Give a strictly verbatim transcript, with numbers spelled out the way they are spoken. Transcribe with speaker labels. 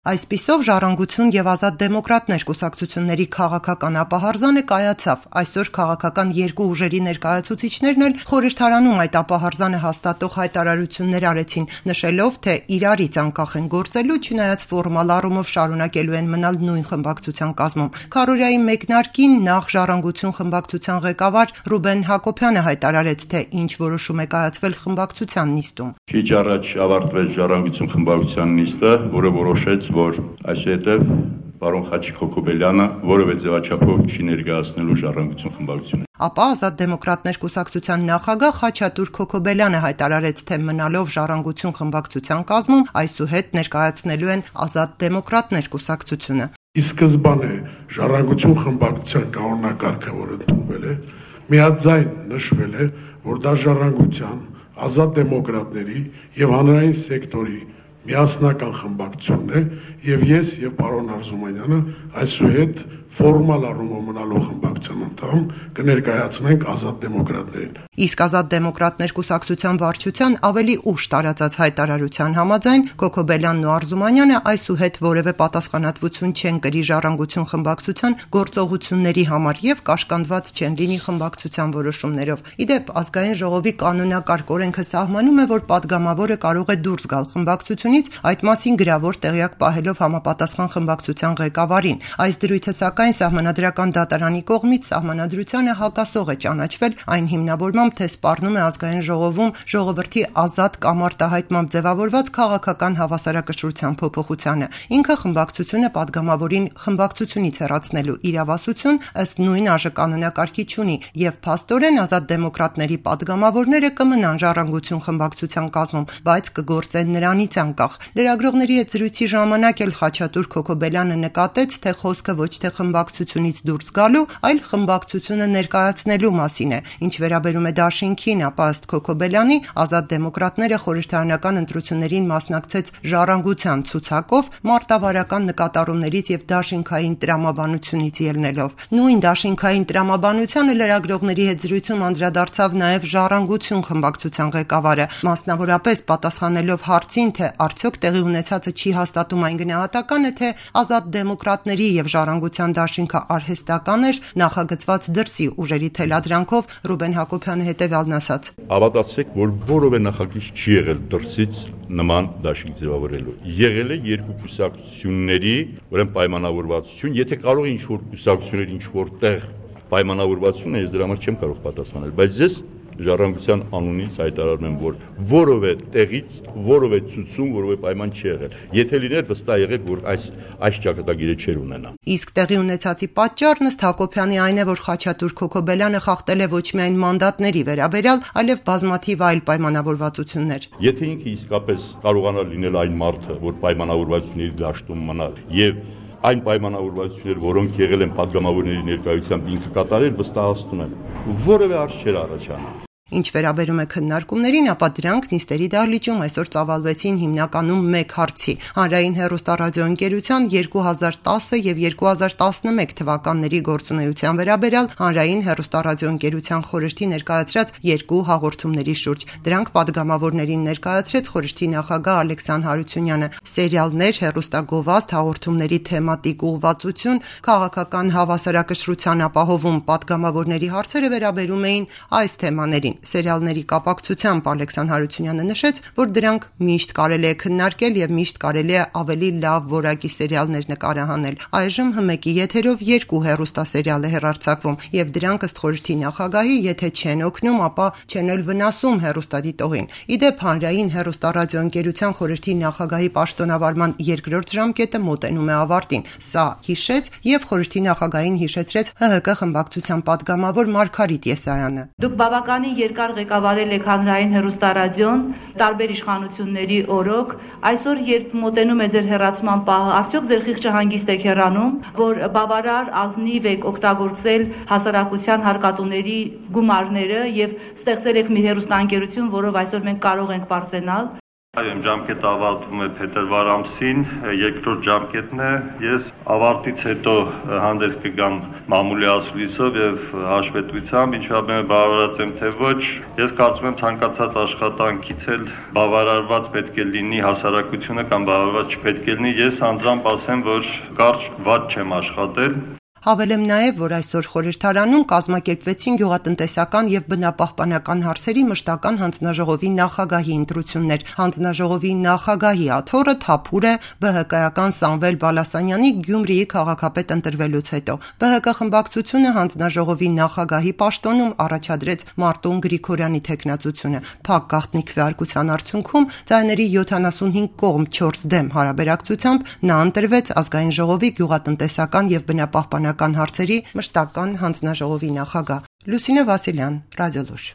Speaker 1: Այսպիսով «Ժառանգություն և ազատ դեմոկրատներ» կուսակցությունների քաղաքական ապահարզանը կայացավ։ Այսօր քաղաքական երկու ուժերի ներկայացուցիչներն էլ խորհրդարանում այդ ապահարզանը հաստատող հայտարարություններ արեցին, նշելով, թե իրարից անկախ են գործելու, չնայած ֆորմալ առումով շարունակելու են մնալ նույն խմբակցության կազմում։ Քարոզիայի մեկնարկին նախ «Ժառանգություն» խմբակցության ղեկավար Ռուբեն Հակոբյանը հայտարարեց, թե ինչ որոշում է կայացվել խմբակցության նիստում։
Speaker 2: Քիչ առաջ ավարտվեց «Ժառանգություն» խմբակցության նիստը, որը որոշեց, որ այսուհետև պարոն Խաչիկ Հոկոբելյանը որևէ ձևաչափով չի ներկայացնելու «Ժառանգություն» խմբակցությունը։
Speaker 1: Ապա «Ազատ դեմոկրատներ» կուսակցության նախագահ Խաչատուր Քոքոբելյանը հայտարարեց, թե մնալով «Ժառանգություն» խմբակցության կազմում այսուհետ ներկայացնելու են «Ազատ դեմոկրատներ» կուսակցությունը։
Speaker 3: Ի սկզբանե «Ժառանգություն» խմբակցության կանոնակարգը, որ ընդունվել է, միաձայն նշվել է, որ դա «Ժառանգության», «Ազատ դեմոկրատների» եւ հանրային սեկտորի միասնական խմբակցությունն է, եւ ես եւ պարոն Արզումանյանը այսուհետ ֆորմալ առումով մնալով խմբակցության անդամ կներկայացնենք ազատ դեմոկրատներին։
Speaker 1: Իսկ «Ազատ դեմոկրատներ» կուսակցության վարչության ավելի ուշ տարածած հայտարարության համաձայն Քոքոբելյանն ու Արզումանյանը այսուհետ որևէ պատասխանատվություն չեն կրի «Ժառանգություն» խմբակցության գործողությունների համար եւ կաշկանդված չեն լինի խմբակցության որոշումներով։ Իդեպ Ազգային ժողովի կանոնակարգ օրենքը սահմանում է, որ падգամավորը կարող է դուրս գալ խմբակցությունից, այդ մասին գրավոր տեղյակ պահելով համապատասխան խմբակցության ղեկավարին։ Այս դրույթը սակայն Սահմանադրական դատարանի կողմից Սահմանադրությանը հակասող է ճանաչվել այն հիմնավորմամբ, թե սպառնում է Ազգային ժողովում ժողովրդի ազատ կամ արտահայտմամբ ձևավորված քաղաքական հավասարակշռության փոփոխությանը։ Ինքը խմբակցությունը падգամավորին խմբակցությունից հեռացնելու իրավասություն ըստ նույն ԱԺ-կանոնակարգի չունի, եւ փաստորեն Ազատ դեմոկրատների падգամավորները կմնան «Ժառանգություն» խմբակցության կազմում, բայց կգործեն նրանից անկախ։ Լրագրողների հետ զրույցի ժամանակ էլ Խաչատուր Քոքոբելյանը նկատեց, թե խոսքը ոչ թե խմբակցությունից դուրս գալու, այլ խմբակցությունը ներկայացնելու մասին է։ Ինչ վերաբերում է դաշինքին, ապա ըստ Քոքոբելյանի Ազատ դեմոկրատները խորհրդարանական ընտրություններին մասնակցեց «Ժառանգության» ցուցակով, մարտավարական նկատառումներից եւ դաշինքային տրամաբանությունից ելնելով։ Նույն դաշինքային տրամաբանությանը լրագրողների հետ զրույցում անդրադարձավ նաեւ «Ժառանգություն» խմբակցության ղեկավարը, մասնավորապես պատասխանելով հարցին, թե արդյոք տեղի ունեցածը չի հաստատում այն գնահատականը, թե Ազատ դեմոկրատների եւ «Ժառանգության» դաշինքը արհեստական էր, նախագծված դրսի ուժերի թելադրանքով Ռուբեն Հակոբյանը հետեւյալն ասաց.
Speaker 2: Հավատացեք, որ որևէ նախագիծ չի եղել դրսից նման դաշինք ձևավորելու։ Եղել է երկու կուսակցությունների, ուրեմն պայմանավորվածություն, եթե կարող է ինչ-որ կուսակցություններ ինչ-որ տեղ պայմանավորվածություն է, ես դրա համար չեմ կարող պատասխանել, բայց ես «Ժառանգության» անունից հայտարարում եմ, որ որևէ տեղից որևէ ցուցում, որևէ պայման չի եղել։ Եթե լիներ, վստահ եղեք, որ այս այս ճակատագիրը չէր ունենա։
Speaker 1: Իսկ տեղի ունեցածի պատճառն ըստ Հակոբյանի այն է, որ Խաչատուր Քոքոբելյանը խախտել է ոչ միայն մանդատների վերաբերյալ, այլև բազմաթիվ այլ պայմանավորվածություններ։
Speaker 2: Եթե ինքը իսկապես կարողանար լինել այն մարդը, որ պայմանավորվածությունների դաշտում մնալ եւ այն պայմանավորվածություններ, որոնք եղել են падգամավորների ներկայությամբ ինքը կատարել, վստահացնում եմ, որևէ հարց չէր առաջանում։
Speaker 1: Ինչ վերաբերում է քննարկումներին, ապա դրանք նիստերի դահլիճում այսօր ծավալվեցին հիմնականում մեկ հարցի՝ հանրային հեռուստառադիոընկերության երկու հազար տասը եւ երկու հազար տասնմեկ թվականների գործունեության վերաբերյալ հանրային հեռուստառադիոընկերության խորհրդի ներկայացրած երկու հաղորդումների շուրջ։ Դրանք падգամավորներին ներկայացրեց խորհրդի նախագահ Ալեքսան Հարությունյանը։ Սերիալներ, հեռուստագովազդ, հաղորդումների թեմատիկ ուղղվածություն, քաղաքական հավասարակշռության ապահովում падգամավորների հարցերը վերաբերում էին այս թեմաներին։ Սերիալների կապակցությամբ Ալեքսան Հարությունյանը նշեց, որ դրանք միշտ կարելի է քննարկել եւ միշտ կարելի է ավելի լավ որակի սերիալներ նկարահանել։ Այժմ հմեկի եթերով երկու հեռուստասերիալ է հեռարձակվում եւ դրանք ըստ խորհրդի նախագահի, եթե չեն օգնում, ապա չեն էլ վնասում հեռուստադիտողին։ Իդեպ հանրային հեռուստառադիոընկերության խորհրդի նախագահի պաշտոնավարման երկրորդ ժամկետը մոտենում է ավարտին։ Սա հիշեց եւ խորհրդի նախագահին հիշեցրեց ՀՀԿ խմբակցության падգամավոր Մարգարիտ Եսայանը։
Speaker 4: Դուք բավականին երկար ղեկավարել եք հանրային հեռուստարադիոն, տարբեր իշխանությունների օրոք, այսօր երբ մոտենում է ձեր հեռացման պահը, արդյոք ձեր խիղճը հանգիստ եք հեռանում, որ բավարար ազնիվ եք օգտագործել հասարակության հարկատուների գումարները եւ ստեղծել եք մի հեռուստաընկերություն, որով այսօր մենք կարող ենք բարձենալ։
Speaker 5: Այո, ջամկետը ավարտվում է փետրվար ամսին, երկրորդ ջամկետն է։ Ես ավարտից հետո հանդես կգամ մամուլի ասուլիսով եւ հաշվետվությամբ, ինչով եմ բավարարած եմ թե ոչ։ Ես կարծում եմ ցանկացած աշխատանքից էլ բավարարված պետք է լինի հասարակությունը կամ բավարարված չպետք է լինի։ Ես անձամբ ասեմ, որ կարճ վատ չեմ աշխատել։
Speaker 1: Հավելեմ նաև, որ այսօր խորհրդարանում կազմակերպվեցին գյուղատնտեսական եւ բնապահպանական հարցերի մշտական հանձնաժողովի նախագահի ընտրություններ։ Հանձնաժողովի նախագահի աթոռը թափուր է B H K-ական Սամվել Բալասանյանի Գյումրիի քաղաքապետ ընտրվելուց հետո։ B H K խմբակցությունը հանձնաժողովի նախագահի պաշտոնում առաջադրեց Մարտուն Գրիգորյանի թեկնածությունը։ Փակ գաղտնի քվեարկության արդյունքում ձայների յոթանասունհինգ կողմ չորս դեմ հարաբերակցությամբ նա ընտրվեց ազգային ժողովի գյուղատնտեսական եւ բնապահպանական հարցերի մշտական հանձնաժողովի նախագահ։ Լուսինե Վասիլյան, Ռադիոլուր։